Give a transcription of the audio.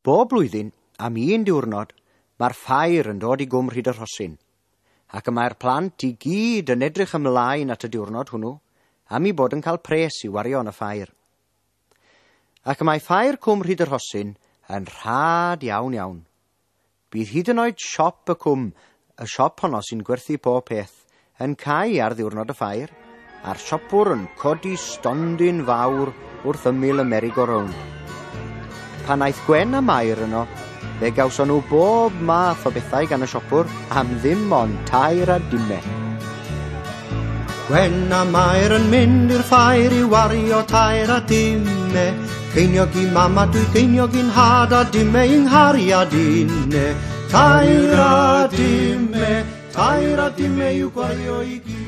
Bob blwyddyn, am un diwrnod, mae'r ffair yn dod i Gwm Rhyd y Rhosyn, ac y mae'r plant i gyd yn edrych ymlaen at y diwrnod hwnnw, am i bod yn cael pres i wario yn y ffair. Ac y mae ffair Cwm Rhyd y Rhosyn yn rhad iawn iawn. Bydd hyd yn oed siop y cwm, y siop honno sy'n gwerthu pob peth, yn cau ar ddiwrnod y ffair, a'r siopwr yn codi stondin fawr wrth ymyl y merry-go-round. Pan aeth Gwen a Mair yno, fe gawson nhw bob math o bethau gan y siopwr am ddim ond 3 a dime. Gwen a Mair yn mynd i'r ffair i wario 3 a dime. Ceiniog i mama, 2 geiniog i'n nhad a dime i'n nghariad inne. 3 a dime, 3 a dime i'w gwario i gyd.